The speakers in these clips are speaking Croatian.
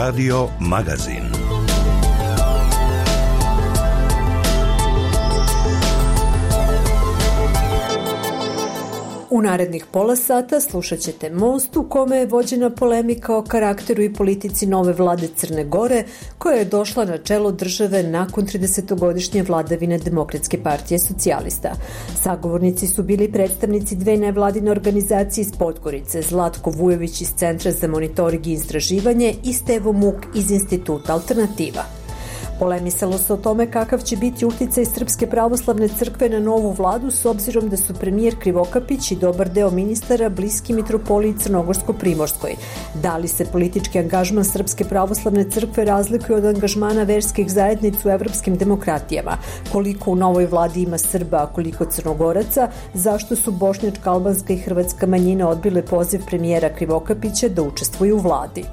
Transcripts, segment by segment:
Radio Magazin. U narednih pola sata slušat ćete Most u kome je vođena polemika o karakteru i politici nove vlade Crne Gore, koja je došla na čelo države nakon 30-godišnje vladavine Demokratske partije socijalista. Sagovornici su bili predstavnici dve nevladine organizacije iz Podgorice, Zlatko Vujović iz Centra za monitoring i istraživanje i Stevo Muk iz Instituta Alternativa. Polemisalo se o tome kakav će biti uticaj Srpske pravoslavne crkve na novu vladu s obzirom da su premijer Krivokapić i dobar deo ministara bliski mitropoliji Crnogorsko-Primorskoj. Da li se politički angažman Srpske pravoslavne crkve razlikuje od angažmana verskih zajednica u evropskim demokratijama? Koliko u novoj vladi ima Srba, a koliko Crnogoraca? Zašto su bošnjačka, albanska i hrvatska manjina odbile poziv premijera Krivokapića da učestvuju u vladi?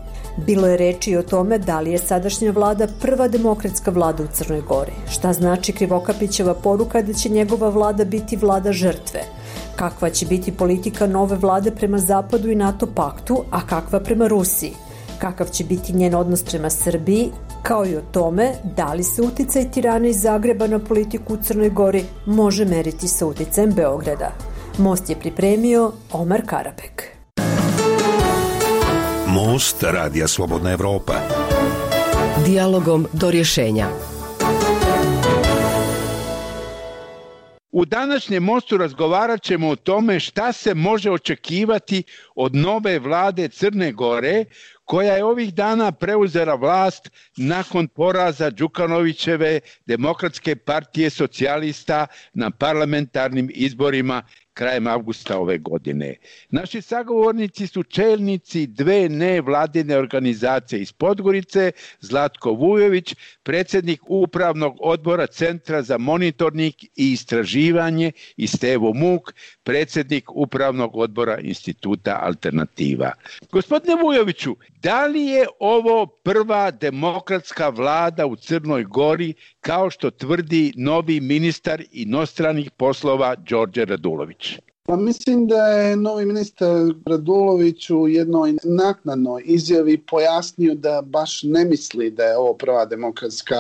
Bilo je reči o tome da li je sadašnja vlada prva demokratska vlada u Crnoj Gori. Šta znači Krivokapićeva poruka da će njegova vlada biti vlada žrtve? Kakva će biti politika nove vlade prema Zapadu i NATO paktu, a kakva prema Rusiji? Kakav će biti njen odnos prema Srbiji, kao i o tome da li se uticaj Tirana iz Zagreba na politiku u Crnoj Gori može meriti sa uticajem Beograda. Most je pripremio Omar Karabek. Most Radija Slobodna Evropa. Dijalogom do rješenja. U današnjem Mostu razgovarat ćemo o tome šta se može očekivati od nove vlade Crne Gore, koja je ovih dana preuzela vlast nakon poraza Đukanovićeve Demokratske partije socijalista na parlamentarnim izborima krajem avgusta ove godine. Naši sagovornici su čelnici dve nevladine organizacije iz Podgorice, Zlatko Vujović, predsjednik upravnog odbora Centra za monitoring i istraživanje, i Stevo Muk, predsjednik upravnog odbora Instituta Alternativa. Gospodine Vujoviću, da li je ovo prva demokratska vlada u Crnoj Gori, kao što tvrdi novi ministar inostranih poslova Đorđe Radulović? Pa mislim da je novi ministar Radulović u jednoj naknadnoj izjavi pojasnio da baš ne misli da je ovo prva demokratska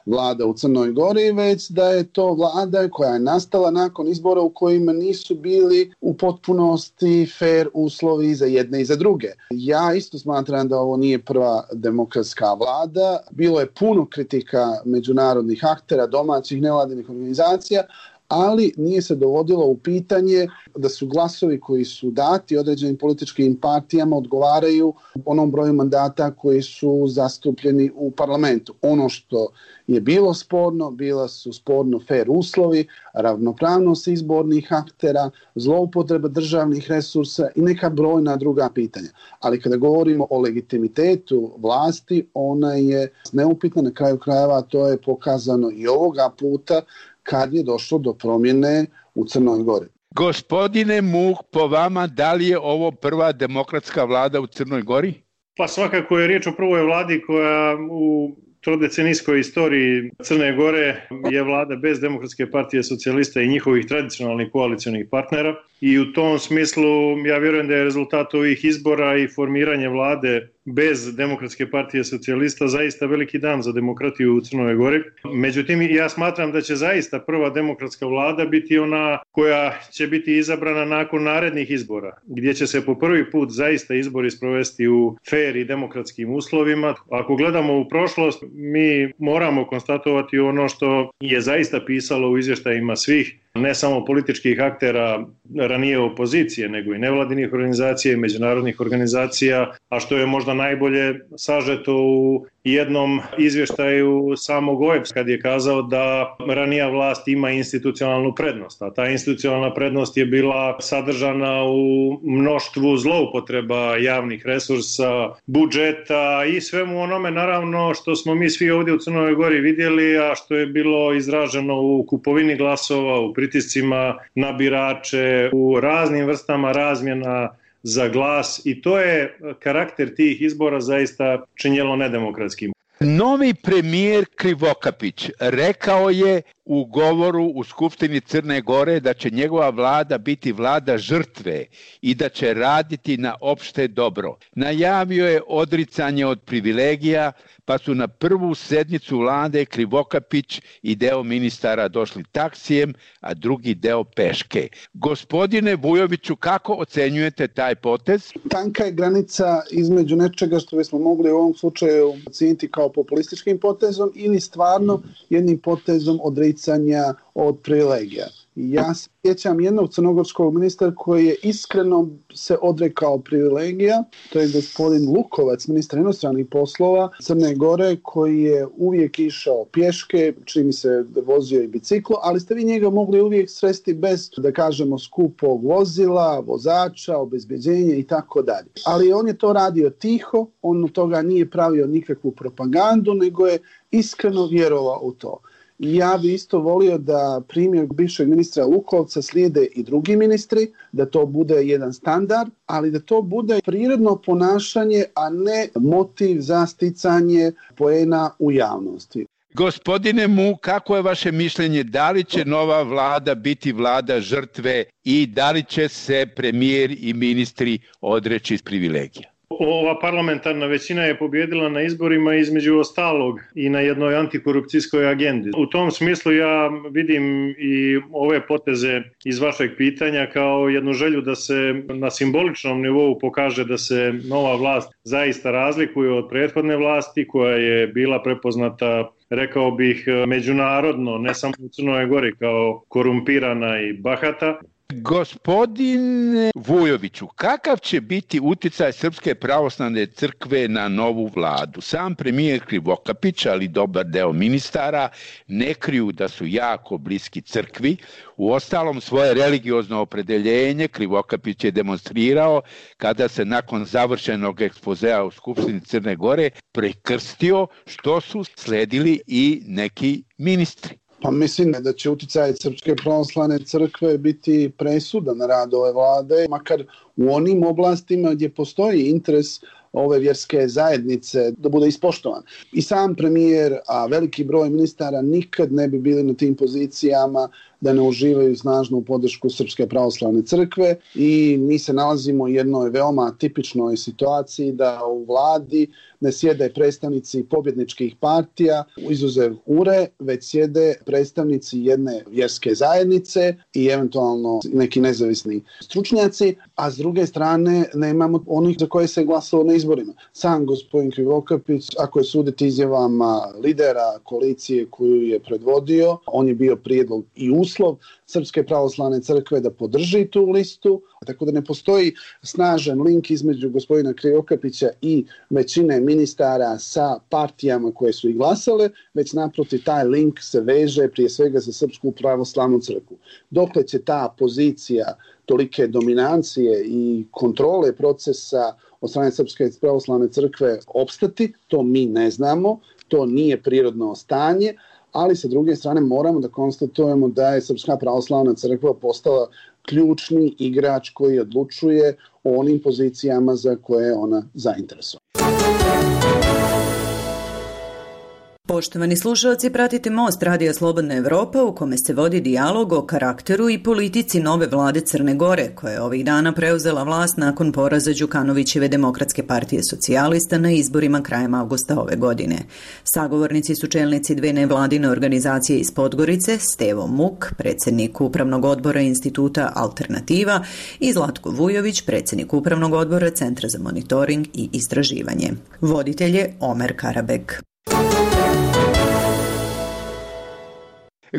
vlada u Crnoj Gori, već da je to vlada koja je nastala nakon izbora u kojima nisu bili u potpunosti fair uslovi za jedne i za druge. Ja isto smatram da ovo nije prva demokratska vlada. Bilo je puno kritika međunarodnih aktera, domaćih nevladinih organizacija, ali nije se dovodilo u pitanje da su glasovi koji su dati određenim političkim partijama odgovaraju onom broju mandata koji su zastupljeni u parlamentu. Ono što je bilo sporno, bila su sporno fair uslovi, ravnopravnost izbornih aktera, zloupotreba državnih resursa i neka brojna druga pitanja. Ali kada govorimo o legitimitetu vlasti, ona je neupitna, na kraju krajeva to je pokazano i ovoga puta kad je došlo do promjene u Crnoj Gori. Gospodine Muk, po vama, da li je ovo prva demokratska vlada u Crnoj Gori? Pa svakako je riječ o prvoj vladi koja u trodecenijskoj istoriji Crne Gore je vlada bez Demokratske partije socijalista i njihovih tradicionalnih koalicionih partnera. I u tom smislu ja vjerujem da je rezultat ovih izbora i formiranje vlade bez Demokratske partije socijalista zaista veliki dan za demokratiju u Crnoj Gori. Međutim, ja smatram da će zaista prva demokratska vlada biti ona koja će biti izabrana nakon narednih izbora, gdje će se po prvi put zaista izbori sprovesti u fair i demokratskim uslovima. Ako gledamo u prošlost, mi moramo konstatovati ono što je zaista pisalo u izvještajima svih, ne samo političkih aktera ranije opozicije, nego i nevladinih organizacija i međunarodnih organizacija, a što je možda najbolje sažeto u jednom izvještaju samog OEBS kad je kazao da ranija vlast ima institucionalnu prednost, a ta institucionalna prednost je bila sadržana u mnoštvu zloupotreba javnih resursa, budžeta i svemu onome naravno što smo mi svi ovdje u Crnoj Gori vidjeli, a što je bilo izraženo u kupovini glasova, u pritiscima na birače, u raznim vrstama razmjena za glas i to je karakter tih izbora zaista činjelo nedemokratskim. Novi premijer Krivokapić rekao je u govoru u Skupštini Crne Gore da će njegova vlada biti vlada žrtve i da će raditi na opšte dobro. Najavio je odricanje od privilegija, pa su na prvu sednicu vlade Krivokapić i deo ministara došli taksijem, a drugi deo peške. Gospodine Vujoviću, kako ocenjujete taj potez? Tanka je granica između nečega što bismo mogli u ovom slučaju ocijeniti kao populističkim potezom ili stvarno jednim potezom odricanja od privilegija. Ja se sjećam jednog crnogorskog ministra koji je iskreno se odrekao privilegija, to je gospodin Lukovac, ministar inostranih poslova Crne Gore, koji je uvijek išao pješke, čini se vozio i biciklo, ali ste vi njega mogli uvijek sresti bez, da kažemo, skupog vozila, vozača, obezbeđenja i tako dalje. Ali on je to radio tiho, on od toga nije pravio nikakvu propagandu, nego je iskreno vjerovao u to. I ja bi isto volio da primjer bivšeg ministra Lukovca slijede i drugi ministri, da to bude jedan standard, ali da to bude prirodno ponašanje, a ne motiv za sticanje poena u javnosti. Gospodine Mu, kako je vaše mišljenje, da li će nova vlada biti vlada žrtve i da li će se premijer i ministri odreći privilegija? Ova parlamentarna većina je pobjedila na izborima između ostalog i na jednoj antikorupcijskoj agendi. U tom smislu ja vidim i ove poteze iz vašeg pitanja kao jednu želju da se na simboličnom nivou pokaže da se nova vlast zaista razlikuje od prethodne vlasti koja je bila prepoznata, rekao bih, međunarodno, ne samo u Crnoj Gori, kao korumpirana i bahata. Gospodine Vujoviću, kakav će biti uticaj Srpske pravoslavne crkve na novu vladu? Sam premijer Krivokapić, ali dobar deo ministara, ne kriju da su jako bliski crkvi. Uostalom, svoje religiozno opredeljenje Krivokapić je demonstrirao kada se nakon završenog ekspozea u Skupštini Crne Gore prekrstio, što su sledili i neki ministri. Pa mislim da će uticaj Srpske pravoslavne crkve biti presudan na rad ove vlade, makar u onim oblastima gdje postoji interes ove vjerske zajednice da bude ispoštovan. I sam premijer, a veliki broj ministara nikad ne bi bili na tim pozicijama da ne uživaju snažnu podršku Srpske pravoslavne crkve i mi se nalazimo u jednoj veoma tipičnoj situaciji da u vladi ne sjede predstavnici pobjedničkih partija, izuzev URE, već sjede predstavnici jedne vjerske zajednice i eventualno neki nezavisni stručnjaci, a s druge strane nemamo onih za koje se glasalo na izborima. Sam gospodin Krivokapić, ako je suditi izjavama lidera koalicije koju je predvodio, on je bio prijedlog i uslov Srpske pravoslavne crkve da podrži tu listu, tako da ne postoji snažan link između gospodina Krivokapića i većine ministara sa partijama koje su i glasale, već naprotiv taj link se veže prije svega za Srpsku pravoslavnu crkvu. Dokle će ta pozicija tolike dominancije i kontrole procesa od strane Srpske pravoslavne crkve opstati, to mi ne znamo, to nije prirodno stanje, ali sa druge strane moramo da konstatujemo da je Srpska pravoslavna crkva postala ključni igrač koji odlučuje o onim pozicijama za koje je ona zainteresovana. Poštovani slušalci, pratite Most Radija Slobodna Evropa u kome se vodi dijalog o karakteru i politici nove vlade Crne Gore, koja je ovih dana preuzela vlast nakon poraza Đukanovićeve Demokratske partije socijalista na izborima krajem avgusta ove godine. Sagovornici su čelnici dve nevladine organizacije iz Podgorice, Stevo Muk, predsjednik Upravnog odbora Instituta Alternativa, i Zlatko Vujović, predsjednik Upravnog odbora Centra za monitoring i istraživanje. Voditelj je Omer Karabek.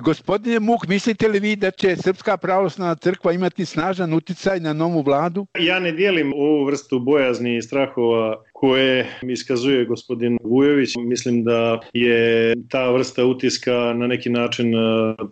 Gospodine Muk, mislite li vi da će Srpska pravoslavna crkva imati snažan uticaj na novu vladu? Ja ne dijelim ovu vrstu bojazni i strahova koje iskazuje gospodin Vujović. Mislim da je ta vrsta utiska na neki način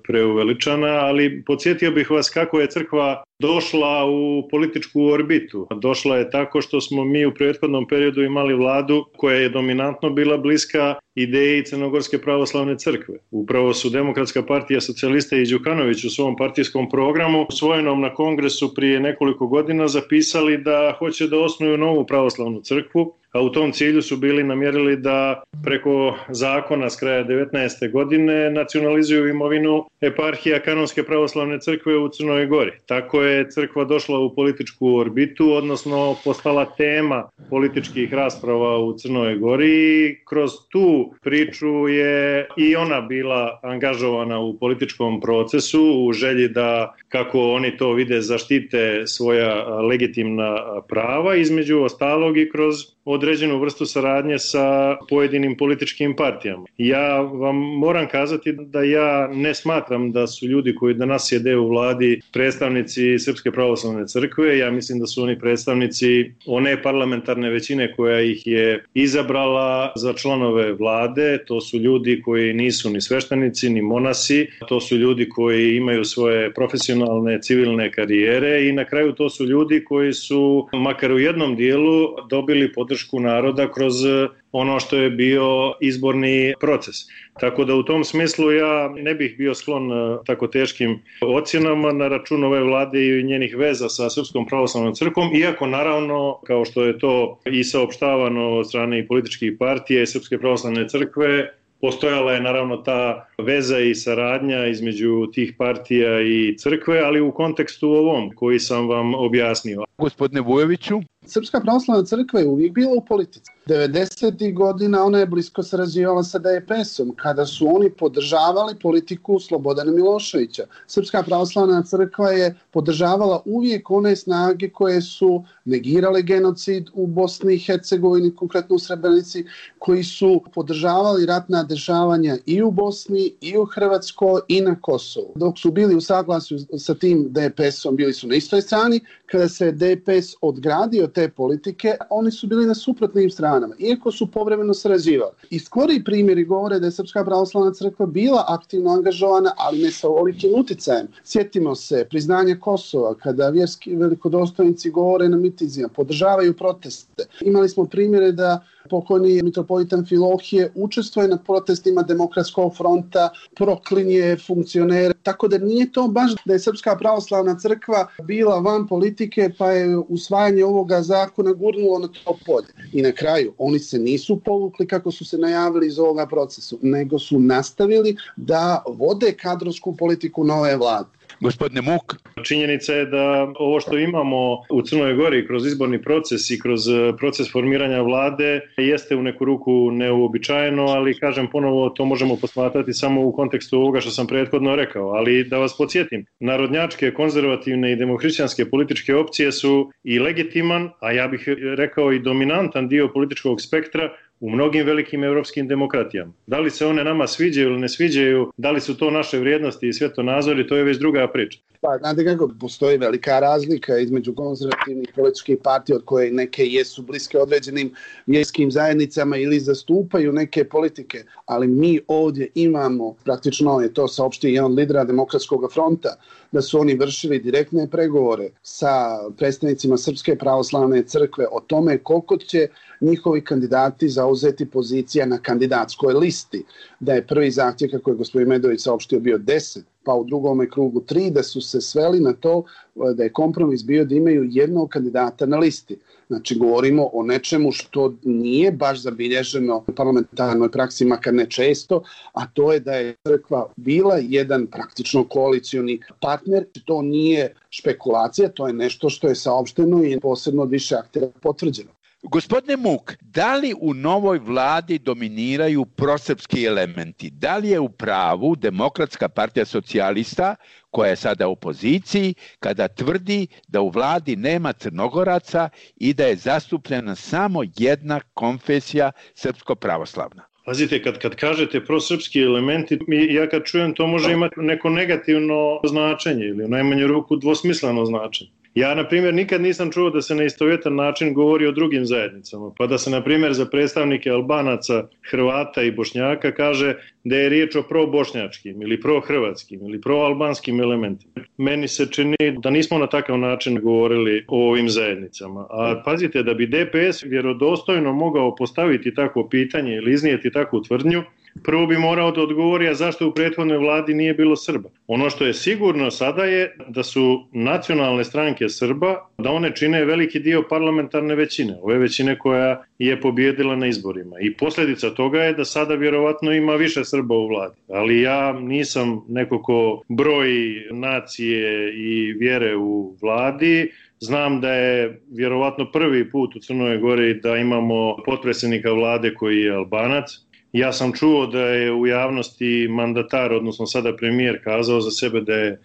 preuveličana, ali podsjetio bih vas kako je crkva došla u političku orbitu. Došla je tako što smo mi u prethodnom periodu imali vladu koja je dominantno bila bliska ideji Crnogorske pravoslavne crkve. Upravo su Demokratska partija socijalista i Đukanović u svom partijskom programu usvojenom na kongresu prije nekoliko godina zapisali da hoće da osnuju novu pravoslavnu crkvu a u tom cilju su bili namjerili da preko zakona s kraja 19. godine nacionalizuju imovinu eparhija Kanonske pravoslavne crkve u Crnoj Gori. Tako je crkva došla u političku orbitu, odnosno postala tema političkih rasprava u Crnoj Gori i kroz tu priču je i ona bila angažovana u političkom procesu u želji da, kako oni to vide, zaštite svoja legitimna prava, između ostalog i kroz određenu vrstu saradnje sa pojedinim političkim partijama. Ja vam moram kazati da ja ne smatram da su ljudi koji danas sjede u vladi predstavnici Srpske pravoslavne crkve. Ja mislim da su oni predstavnici one parlamentarne većine koja ih je izabrala za članove vlade. To su ljudi koji nisu ni sveštenici, ni monasi. To su ljudi koji imaju svoje profesionalne civilne karijere i na kraju to su ljudi koji su makar u jednom dijelu dobili podršku naroda kroz ono što je bio izborni proces. Tako da u tom smislu ja ne bih bio sklon tako teškim ocjenama na račun ove vlade i njenih veza sa Srpskom pravoslavnom crkvom, iako naravno, kao što je to i saopštavano od strane i političkih partija i Srpske pravoslavne crkve, postojala je naravno ta veza i saradnja između tih partija i crkve, ali u kontekstu ovom koji sam vam objasnio. Gospodine Vujoviću? Srpska pravoslavna crkva je uvijek bila u politici. 90. godina ona je blisko sarađivala sa DPS-om kada su oni podržavali politiku Slobodana Miloševića. Srpska pravoslavna crkva je podržavala uvijek one snage koje su negirale genocid u Bosni i Hercegovini, konkretno u Srebrenici, koji su podržavali ratna dešavanja i u Bosni, i u Hrvatskoj, i na Kosovu. Dok su bili u saglasju sa tim DPS-om, bili su na istoj strani. Kada se DPS odgradio te politike, oni su bili na suprotnim stranama, iako su povremeno sarađivali. I skoriji primjeri govore da je Srpska pravoslavna crkva bila aktivno angažovana, ali ne sa ovolikim uticajem. Sjetimo se priznanja Kosova, kada vjerski velikodostojnici govore na mitinzima, podržavaju proteste. Imali smo primjere da pokojni mitropolita Amfilohije učestvuje na protestima Demokratskog fronta, proklinje funkcionere. Tako da nije to baš da je Srpska pravoslavna crkva bila van politike pa je usvajanje ovoga zakona gurnulo na to polje. I na kraju oni se nisu povukli kako su se najavili iz ovoga procesa, nego su nastavili da vode kadrovsku politiku nove vlade. Gospodine Muk. Činjenica je da ovo što imamo u Crnoj Gori kroz izborni proces i kroz proces formiranja vlade jeste u neku ruku neuobičajeno, ali kažem ponovo to možemo posmatrati samo u kontekstu ovoga što sam prethodno rekao. Ali da vas podsjetim, narodnjačke, konzervativne i demohrišćanske političke opcije su i legitiman, a ja bih rekao i dominantan dio političkog spektra u mnogim velikim evropskim demokratijama. Da li se one nama sviđaju ili ne sviđaju, da li su to naše vrijednosti i svjetonazori, to je već druga priča. Pa, znate kako, postoji velika razlika između konzervativnih političkih partija od koje neke jesu bliske određenim vjerskim zajednicama ili zastupaju neke politike, ali mi ovdje imamo, praktično je to saopštio jedan lidera Demokratskog fronta, da su oni vršili direktne pregovore sa predstavnicima Srpske pravoslavne crkve o tome koliko će njihovi kandidati zauzeti pozicija na kandidatskoj listi. Da je prvi zahtjev, kako je gospodin Medović saopštio, bio 10, pa u drugome krugu 3, da su se sveli na to da je kompromis bio da imaju jednog kandidata na listi. Znači, govorimo o nečemu što nije baš zabilježeno u parlamentarnoj praksi, makar ne često, a to je da je crkva bila jedan praktično koalicioni partner. To nije špekulacija, to je nešto što je saopšteno i posebno od više aktera potvrđeno. Gospodine Muk, da li u novoj vladi dominiraju prosrpski elementi? Da li je u pravu Demokratska partija socijalista, koja je sada u opoziciji, kada tvrdi da u vladi nema Crnogoraca i da je zastupljena samo jedna konfesija srpsko-pravoslavna? Pazite, kad kažete prosrpski elementi, ja kad čujem to može imati neko negativno značenje ili u najmanju ruku dvosmisleno značenje. Ja, na primjer, nikad nisam čuo da se na istovjetan način govori o drugim zajednicama, pa da se, na primjer, za predstavnike Albanaca, Hrvata i Bošnjaka kaže da je riječ o probošnjačkim ili prohrvatskim ili proalbanskim elementima. Meni se čini da nismo na takav način govorili o ovim zajednicama. A pazite, da bi DPS vjerodostojno mogao postaviti takvo pitanje ili iznijeti takvu tvrdnju, Prvo bi morao da odgovori, a zašto u prethodnoj vladi nije bilo Srba. Ono što je sigurno sada je da su nacionalne stranke Srba, da one čine veliki dio parlamentarne većine, ove većine koja je pobjedila na izborima. I posljedica toga je da sada vjerovatno ima više Srba u vladi. Ali ja nisam neko ko broji nacije i vjere u vladi. Znam da je vjerovatno prvi put u Crnoj Gori da imamo potpredsjednika vlade koji je Albanac. Ja sam čuo da je u javnosti mandatar, odnosno sada premijer, kazao za sebe da je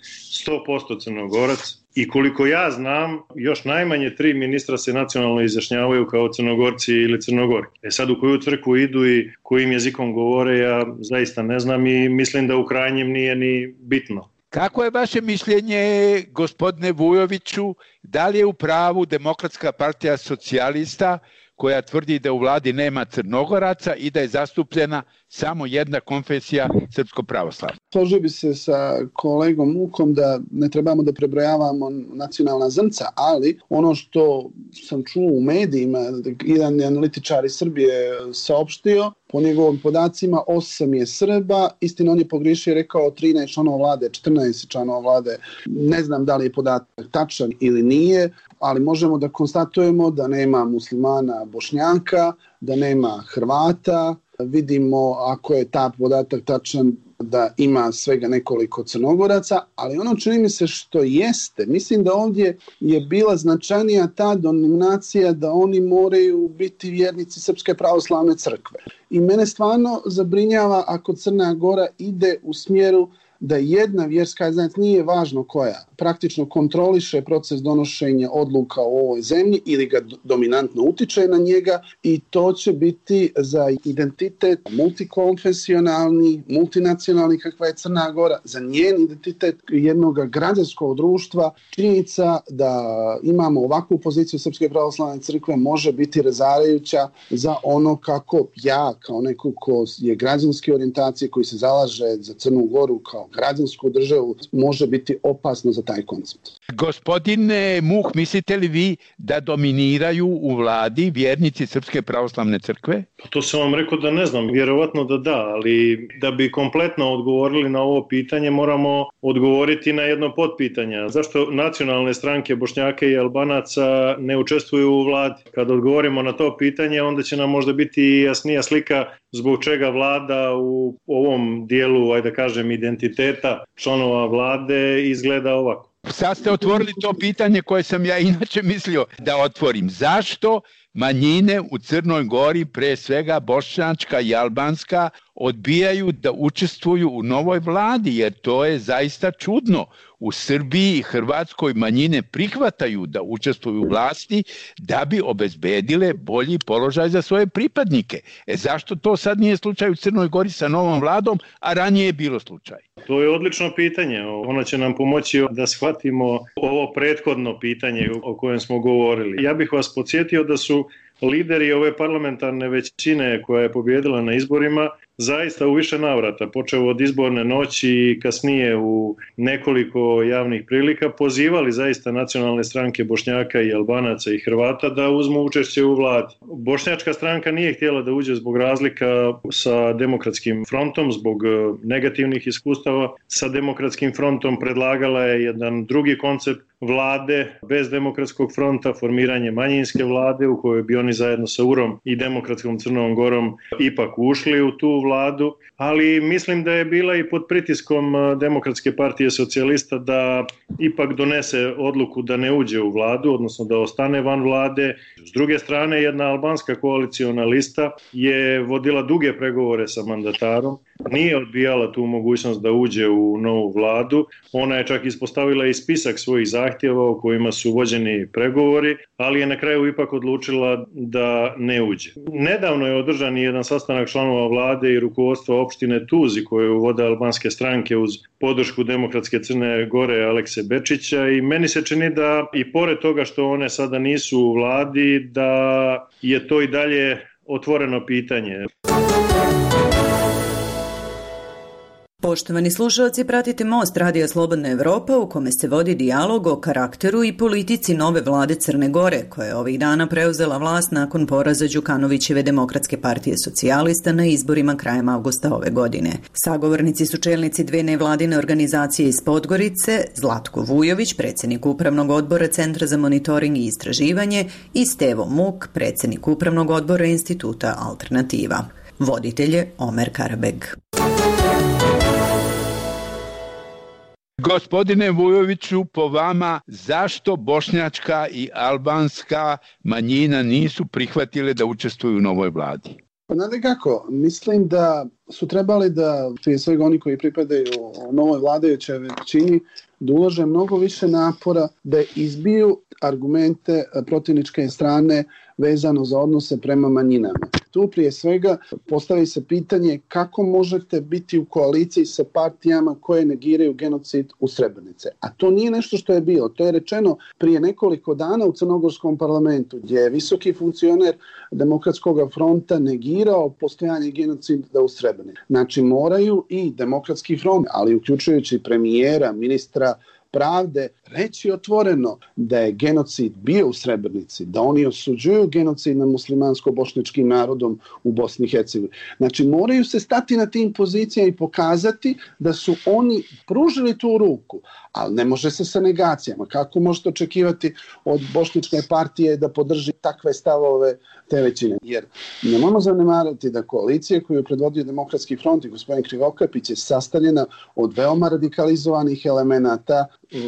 100% Crnogorac. I koliko ja znam, još najmanje 3 ministra se nacionalno izjašnjavaju kao Crnogorci ili Crnogorki. Sad u koju crkvu idu i kojim jezikom govore, ja zaista ne znam i mislim da u krajnjem nije ni bitno. Kako je vaše mišljenje, gospodine Vujoviću, da li je u pravu Demokratska partija socijalista koja tvrdi da u vladi nema Crnogoraca i da je zastupljena samo jedna konfesija srpsko-pravoslavna? Složio bi se sa kolegom Mukom da ne trebamo da prebrojavamo nacionalna zrnca, ali ono što sam čuo u medijima, jedan analitičar iz Srbije saopštio, po njegovim podacima 8 je Srba, istina on je pogriješio i rekao 13 članova vlade, 14 članova vlade. Ne znam da li je podatak tačan ili nije, ali možemo da konstatujemo da nema muslimana Bošnjaka, da nema Hrvata. Vidimo, ako je ta podatak tačan, da ima svega nekoliko Crnogoraca, ali ono čini mi se što jeste, mislim da ovdje je bila značajnija ta dominacija da oni moraju biti vjernici Srpske pravoslavne crkve. I mene stvarno zabrinjava ako Crna Gora ide u smjeru da jedna vjerska zajednica, nije važno koja, praktično kontroliše proces donošenja odluka u ovoj zemlji ili ga dominantno utiče na njega i to će biti za identitet multikonfesionalni, multinacionalni kakva je Crna Gora, za njen identitet jednog građanskog društva. Činjenica da imamo ovakvu poziciju Srpske pravoslavne crkve može biti razarajuća za ono kako ja, kao neko ko je građanske orijentacije, koji se zalaže za Crnu Goru kao građansku državu, može biti opasno za taj koncept. Gospodine Muh, mislite li vi da dominiraju u vladi vjernici Srpske pravoslavne crkve? To sam vam rekao da ne znam, vjerovatno da, ali da bi kompletno odgovorili na ovo pitanje moramo odgovoriti na jedno potpitanje. Zašto nacionalne stranke Bošnjaka i Albanaca ne učestvuju u vladi? Kad odgovorimo na to pitanje, onda će nam možda biti jasnija slika zbog čega vlada u ovom dijelu, ajde da kažem, identiteta članova vlade izgleda ovako. Sad ste otvorili to pitanje koje sam ja inače mislio da otvorim. Zašto manjine u Crnoj Gori, pre svega bošnjačka i albanska, odbijaju da učestvuju u novoj vladi, jer to je zaista čudno. U Srbiji i Hrvatskoj manjine prihvataju da učestvuju u vlasti da bi obezbedile bolji položaj za svoje pripadnike. Zašto to sad nije slučaj u Crnoj Gori sa novom vladom, a ranije je bilo slučaj? To je odlično pitanje. Ono će nam pomoći da shvatimo ovo prethodno pitanje o kojem smo govorili. Ja bih vas podsjetio da su lideri ove parlamentarne većine koja je pobjedila na izborima zaista u više navrata, počeo od izborne noći i kasnije u nekoliko javnih prilika, pozivali zaista nacionalne stranke Bošnjaka i Albanaca i Hrvata da uzmu učešće u vladi. Bošnjačka stranka nije htjela da uđe zbog razlika sa Demokratskim frontom, zbog negativnih iskustava sa Demokratskim frontom, predlagala je jedan drugi koncept vlade bez Demokratskog fronta, formiranje manjinske vlade u kojoj bi oni zajedno sa URom i Demokratskom Crnom Gorom ipak ušli u tu vladu, ali mislim da je bila i pod pritiskom Demokratske partije socijalista da ipak donese odluku da ne uđe u vladu, odnosno da ostane van vlade. S druge strane, jedna albanska koaliciona lista je vodila duge pregovore sa mandatarom, nije odbijala tu mogućnost da uđe u novu vladu. Ona je čak ispostavila i spisak svojih zahtjeva o kojima su vođeni pregovori, ali je na kraju ipak odlučila da ne uđe. Nedavno je održan jedan sastanak članova vlade i rukovodstva opštine Tuzi koju vode albanske stranke uz podršku Demokratske Crne Gore Alekse Bečića i meni se čini da i pored toga što one sada nisu u vladi, da je to i dalje otvoreno pitanje. Poštovani slušalci, pratite Most Radija Slobodna Evropa u kome se vodi dijalog o karakteru i politici nove vlade Crne Gore, koja je ovih dana preuzela vlast nakon poraza Đukanovićeve Demokratske partije socijalista na izborima krajem avgusta ove godine. Sagovornici su čelnici dve nevladine organizacije iz Podgorice, Zlatko Vujović, predsjednik Upravnog odbora Centra za monitoring i istraživanje, i Stevo Muk, predsjednik Upravnog odbora Instituta Alternativa. Voditelj je Omer Karabeg. Gospodine Vujoviću, po vama, zašto bošnjačka i albanska manjina nisu prihvatile da učestvuju u novoj vladi? Pa znate kako, mislim da su trebali da, prije svega oni koji pripadaju novoj vladajućoj većini, da ulože mnogo više napora da izbiju argumente protivničke strane vezano za odnose prema manjinama. Tu prije svega postavi se pitanje kako možete biti u koaliciji sa partijama koje negiraju genocid u Srebrenici. A to nije nešto što je bilo. To je rečeno prije nekoliko dana u Crnogorskom parlamentu, gdje je visoki funkcioner Demokratskog fronta negirao postojanje genocida u Srebrenici. Znači moraju i Demokratski front, ali uključujući premijera, ministra pravde, reći otvoreno da je genocid bio u Srebrenici, da oni osuđuju genocid nad muslimansko-bošnjačkim narodom u Bosni i Hercegovini. Znači moraju se stati na tim pozicijama i pokazati da su oni pružili tu ruku, ali ne može se sa negacijama. Kako možete očekivati od bošnjačke partije da podrži takve stavove te većine? Jer nemojmo zanemarati da koalicija koju je predvodio Demokratski front i gospodin Krivokapić je sastavljena od veoma radikalizovanih elemenata,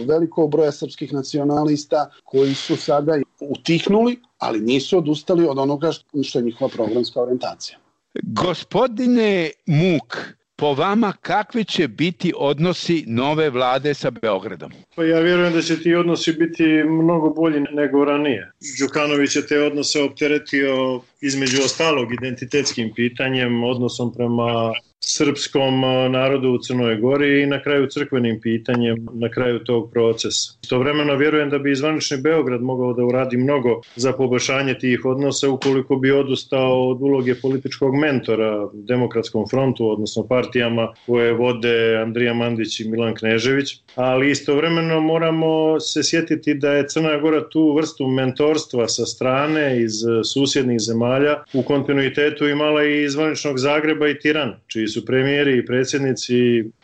velikog broja srpskih nacionalista koji su sada utihnuli, ali nisu odustali od onoga što je njihova programska orijentacija. Gospodine Muk, po vama kakvi će biti odnosi nove vlade sa Beogradom? Pa ja vjerujem da će ti odnosi biti mnogo bolji nego ranije. Đukanović je te odnose opteretio između ostalog identitetskim pitanjem, odnosom prema srpskom narodu u Crnoj Gori i na kraju crkvenim pitanjem na kraju tog procesa. Istovremeno vjerujem da bi zvanični Beograd mogao da uradi mnogo za poboljšanje tih odnosa ukoliko bi odustao od uloge političkog mentora Demokratskom frontu, odnosno partijama koje vode Andrija Mandić i Milan Knežević, ali istovremeno moramo se sjetiti da je Crna Gora tu vrstu mentorstva sa strane iz susjednih zemalja u kontinuitetu imala i zvaničnog Zagreba i Tirana, čiji su premijeri i predsjednici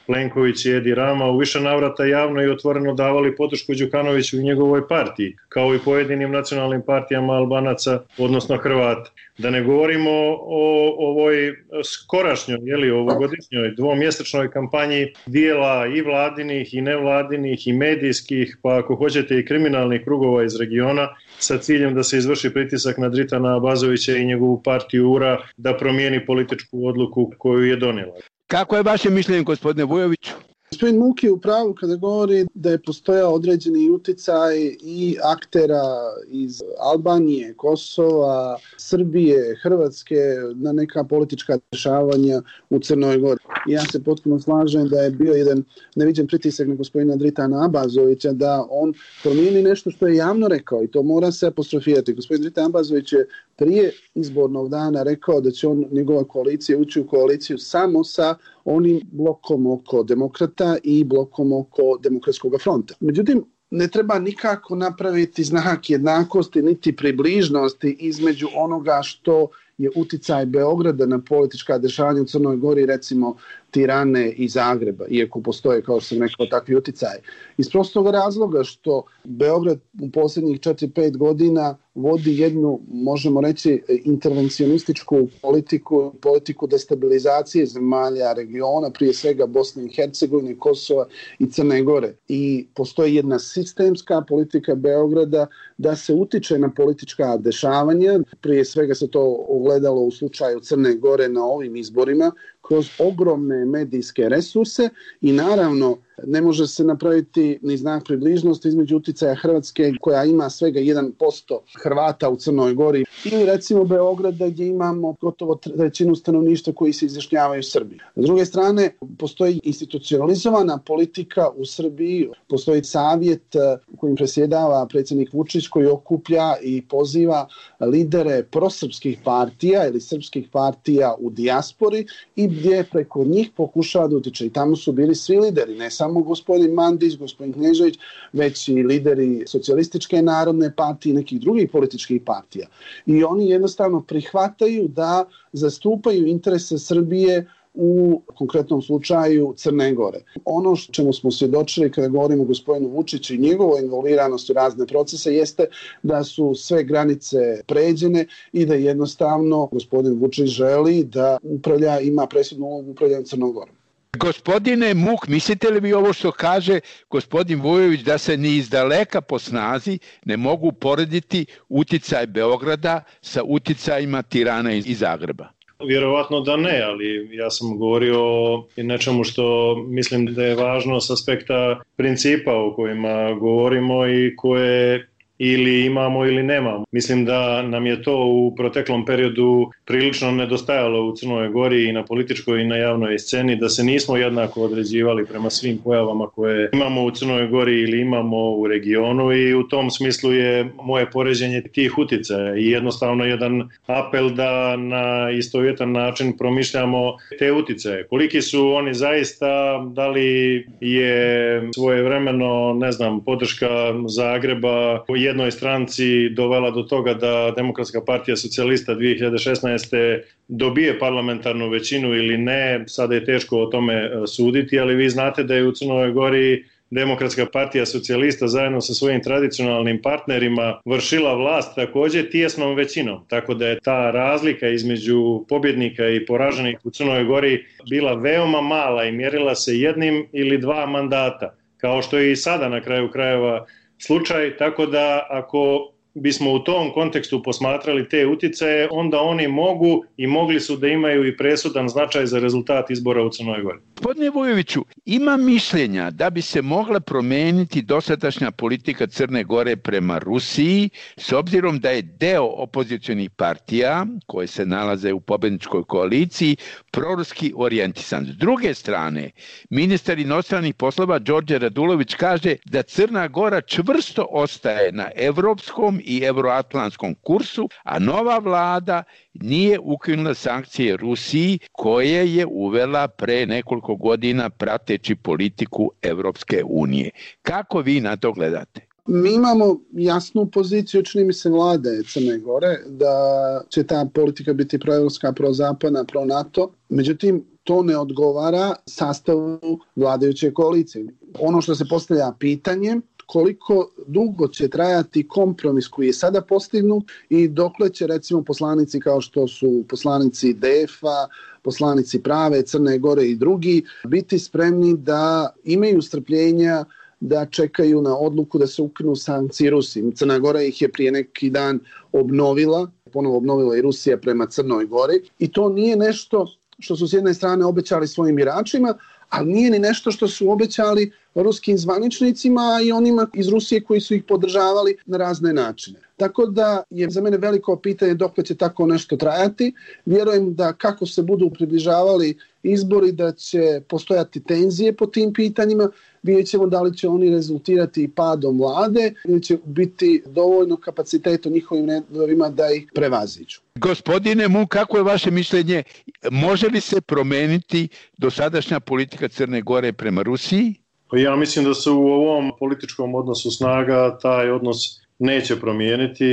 Plenković i Edi Rama u više navrata javno i otvoreno davali podršku Đukanoviću i njegovoj partiji, kao i pojedinim nacionalnim partijama Albanaca, odnosno Hrvata. Da ne govorimo o ovoj skorašnjoj, ovogodišnjoj dvomjesečnoj kampanji dijela i vladinih i nevladinih i medijskih, pa ako hoćete i kriminalnih krugova iz regiona, sa ciljem da se izvrši pritisak na Dritana Abazovića i njegovu partiju URA da promijeni političku odluku koju je donijela. Kako je vaše mišljenje, gospodine Vujoviću? Gospodin Muk je u pravu kada govori da je postojao određeni uticaj i aktera iz Albanije, Kosova, Srbije, Hrvatske na neka politička dešavanja u Crnoj Gori. Ja se potpuno slažem da je bio jedan neviđen pritisak na gospodina Dritana Abazovića da on promijeni nešto što je javno rekao i to mora se apostrofirati. Gospodin Dritan Abazović je prije izbornog dana rekao da će njegova koalicija ući u koaliciju samo sa onim blokom oko demokrata i blokom oko Demokratskog fronta. Međutim, ne treba nikako napraviti znak jednakosti niti približnosti između onoga što je uticaj Beograda na politička dešavanja u Crnoj Gori, recimo Tirane i Zagreba, iako postoje, kao što sam rekao, takvi uticaji. Iz prostog razloga što Beograd u posljednjih 4-5 godina vodi jednu, možemo reći, intervencionističku politiku destabilizacije zemalja regiona, prije svega Bosne i Hercegovine, Kosova i Crne Gore. I postoji jedna sistemska politika Beograda da se utiče na politička dešavanja. Prije svega se to ogledalo u slučaju Crne Gore na ovim izborima, kroz ogromne medijske resurse i naravno ne može se napraviti ni znak približnosti između uticaja Hrvatske koja ima svega 1% Hrvata u Crnoj Gori ili recimo Beograda gdje imamo gotovo trećinu stanovništva koji se izjašnjavaju Srbiji. S druge strane, postoji institucionalizovana politika u Srbiji, postoji savjet kojim presjedava predsjednik Vučić koji okuplja i poziva lidere prosrpskih partija ili srpskih partija u dijaspori i gdje preko njih pokušava da utiče. I tamo su bili svi lideri, ne samo gospodin Mandić, gospodin Knežević, već i lideri Socijalističke narodne partije i nekih drugih političkih partija. I oni jednostavno prihvataju da zastupaju interese Srbije u konkretnom slučaju Crne Gore. Ono čemu smo svjedočili kada govorimo o gospodinu Vučiću i njegovoj involviranosti u razne procese jeste da su sve granice pređene i da jednostavno gospodin Vučić želi da ima presudnu ulogu upravljanja Crnom Gorom. Gospodine Muk, mislite li vi ovo što kaže gospodin Vujović da se ni izdaleka po snazi ne mogu porediti uticaj Beograda sa uticajima Tirana i Zagreba? Vjerovatno da ne, ali ja sam govorio o nečemu što mislim da je važno s aspekta principa o kojima govorimo i koje ili imamo ili nemamo. Mislim da nam je to u proteklom periodu prilično nedostajalo u Crnoj Gori i na političkoj i na javnoj sceni, da se nismo jednako određivali prema svim pojavama koje imamo u Crnoj Gori ili imamo u regionu i u tom smislu je moje poređenje tih uticaja i jednostavno jedan apel da na istovjetan način promišljamo te uticaje. Koliki su oni zaista, da li je svojevremeno, podrška Zagreba u jednoj stranci dovela do toga da Demokratska partija socijalista 2016. dobije parlamentarnu većinu ili ne, sada je teško o tome suditi, ali vi znate da je u Crnoj Gori Demokratska partija socijalista zajedno sa svojim tradicionalnim partnerima vršila vlast također tijesnom većinom, tako da je ta razlika između pobjednika i poraženih u Crnoj Gori bila veoma mala i mjerila se jednim ili dva mandata, kao što je i sada na kraju krajeva slučaj, tako da ako bismo u tom kontekstu posmatrali te uticaje, onda oni mogu i mogli su da imaju i presudan značaj za rezultat izbora u Crnoj Gori. Gospodine Vujoviću, ima mišljenja da bi se mogla promijeniti dosadašnja politika Crne Gore prema Rusiji, s obzirom da je deo opozicionih partija, koje se nalaze u pobjedničkoj koaliciji, proruski orijentisan. S druge strane, ministar inostranih poslova Đorđe Radulović kaže da Crna Gora čvrsto ostaje na evropskom i euroatlantskom kursu, a nova vlada nije ukinula sankcije Rusiji koje je uvela pre nekoliko godina prateći politiku Evropske unije. Kako vi na to gledate? Mi imamo jasnu poziciju, čini mi se, vlade Crne Gore, da će ta politika biti proevropska, prozapadna, pro-NATO. Međutim, to ne odgovara sastavu vladajuće koalicije. Ono što se postavlja pitanje, koliko dugo će trajati kompromis koji je sada postignut i dokle će recimo poslanici kao što su poslanici DF-a, poslanici Prave, Crne Gore i drugi biti spremni da imaju strpljenja da čekaju na odluku da se ukinu sankcije Rusiji. Crna Gora ih je prije neki dan ponovo obnovila i Rusija prema Crnoj Gori i to nije nešto što su s jedne strane obećali svojim biračima, ali nije ni nešto što su obećali ruskim zvaničnicima i onima iz Rusije koji su ih podržavali na razne načine. Tako da je za mene veliko pitanje dokle će tako nešto trajati. Vjerujem da kako se budu približavali izbori da će postojati tenzije po tim pitanjima. Vidjet ćemo da li će oni rezultirati padom vlade ili će biti dovoljno kapaciteta u njihovim redovima da ih prevaziđu. Gospodine Muk, kako je vaše mišljenje? Može li se promijeniti dosadašnja politika Crne Gore prema Rusiji? Ja mislim da se u ovom političkom odnosu snaga taj odnos neće promijeniti.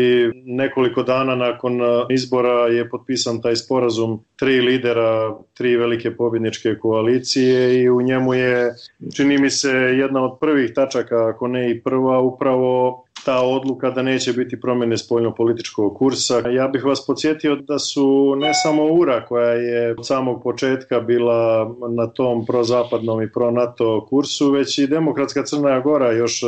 Nekoliko dana nakon izbora je potpisan taj sporazum 3 lidera, 3 velike pobjedničke koalicije i u njemu je, čini mi se, jedna od prvih tačaka, ako ne i prva, upravo ta odluka da neće biti promjene spoljnopolitičkog kursa. Ja bih vas podsjetio da su ne samo URA koja je od samog početka bila na tom prozapadnom i pro-NATO kursu, već i Demokratska Crna Gora još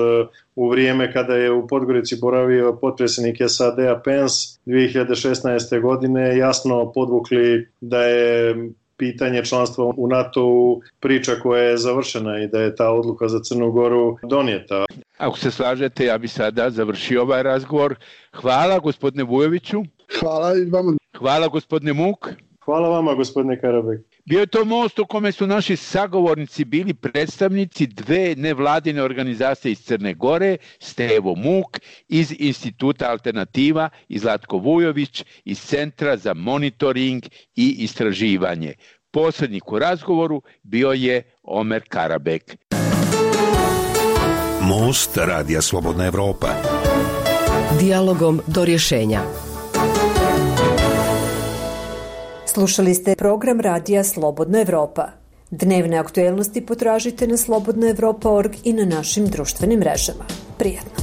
u vrijeme kada je u Podgorici boravio potpredsjednik SAD-a Pence 2016. godine jasno podvukli da je pitanje članstva u NATO-u priča koja je završena i da je ta odluka za Crnu Goru donijeta. Ako se slažete, ja bih sada završio ovaj razgovor. Hvala gospodine Vujoviću. Hvala i vama. Hvala gospodine Muk. Hvala vama gospodine Karabek. Bio je to most u kome su naši sagovornici bili predstavnici 2 nevladine organizacije iz Crne Gore, Stevo Muk iz Instituta Alternativa i Zlatko Vujović iz Centra za monitoring i istraživanje. Posrednik u razgovoru bio je Omer Karabek. Most Radija Slobodna Evropa. Dijalogom do rješenja. Slušali ste program Radija Slobodna Evropa. Dnevne aktuelnosti potražite na slobodnaevropa.org i na našim društvenim mrežama. Prijatno.